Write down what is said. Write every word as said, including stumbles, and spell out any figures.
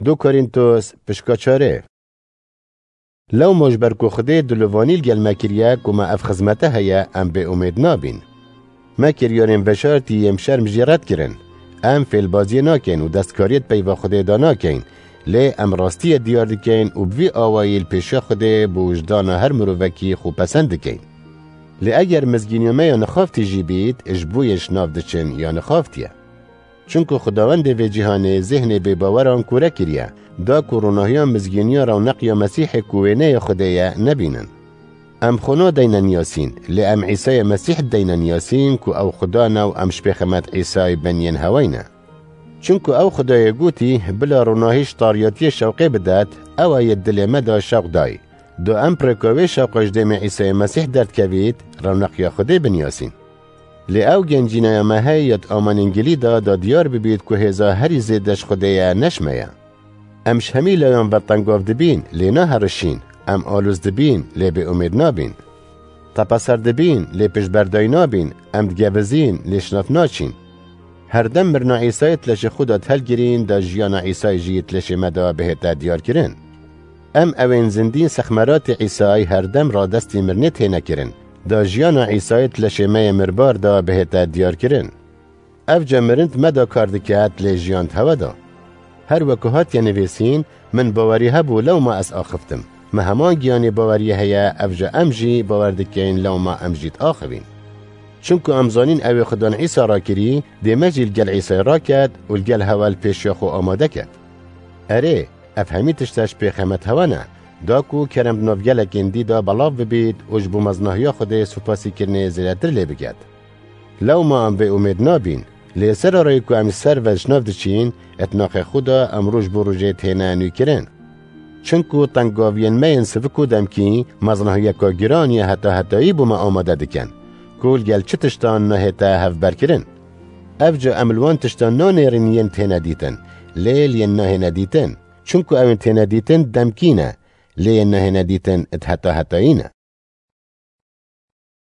Du Korîntos, pişka çarê. Lewma ji ber ku Xwedê dilovanî li gel me kiriye ku me ev xizmete heye, em bêumêd nabîn. Me kiryarên veşartî yên bi şerm jî red kirin. Em fêlbaziyê nakin û destkariyê di peyva Xwedê de nakin. Lê em rastiyê diyar dikin û bi vî awayî li pêşiya Xwedê bi wijdana her mirovekî xwe pesend dikin. Lê eger mizgîniya me ya nixaftî jî bît, ji bo yê ji nav diçin ya nixaftiye. Çunku Xwedawendê vê cîhanê zêhnê bêbaweran kûre kiriye, da ku ronahiya mizgîniya rewneq ya Mesîhê ku wêneya Xwedê ye, nebînin. Em xwe nadeyne niyasîn, lê em Îsayê Mesîh dideyne niyasîn ku ew Xuda ne û em ji pêxemet Îsayê beniyên hewayne. Çunku ew Xwedayê gotî, bila ronahî ji tariyatiyê şewqê bidet, ew ê yê dilê me de şewq dayî. Do em bi rêka wê şewqa ji dêmê Îsayê Mesîh derdikevît, rewneq ya Xwedê biniyasîn. Lê ew gencîneya me heye ya di amanên gilî de da diyar bibît ku hêza herî zêde ji Xwedê ye, ne ji me ye. Em ji hemî layan ve tengav dibîn, lê naherişîn. Em alûz dibîn, lê bêumêd nabîn. Tepeser dibîn, lê piştberdayî nabîn. Em digevizîn, lê ji nav naçîn. Herdem mirina Îsayê di leşê xwe de dihelgirîn, da jiyana Îsayê jî di leşê me de bihête diyarkirin. Em ewên zindîn sexmeratê Îsayê herdem radestî mirinê têne kirin, da jiyana Îsayê di leşê me yê mirbar de bihête diyarkirin. Evca mirin di me de kar diket, lê jiyan di hewe de. Her weke hatiye nivîsîn, min bawerî hebû lewma ez axiftim. Me heman giyanê baweriyê heye, evca em jî bawer dikin lewma em jî diaxivîn. Çunku em zanîn ewê Xudan Îsa rakirî, dê me jî li gel Îsayê raket û li gel hewe li pêşiya xwe amade ket. Erê, ev hemî tişt ji pêxemet hewe ne, da ku kerem di nav gelekên dî de belav bibît û ji bo mezinahiya Xwedê supasîkirinê zêdetir lê biket. Lewma em bêumêd nabîn, lê sera rê ku em ji ser ve ji nav diçîn, di naxê xwe de em roj bo rojê têne nûkirin. Çinku tengaviyên me yên sivik û demkî mezinahiyeka giran ya heta hetayî bo me amade dikin, ku li gel çi tiştan nahête hevberkirin. Evca em li wan tiştan nanêrin yên têne dîtin, lê li yên nahêne dîtin. Çinku ewên têne dîtin demkî ne, lê yên nahêne dîtin di heta hetayî ne.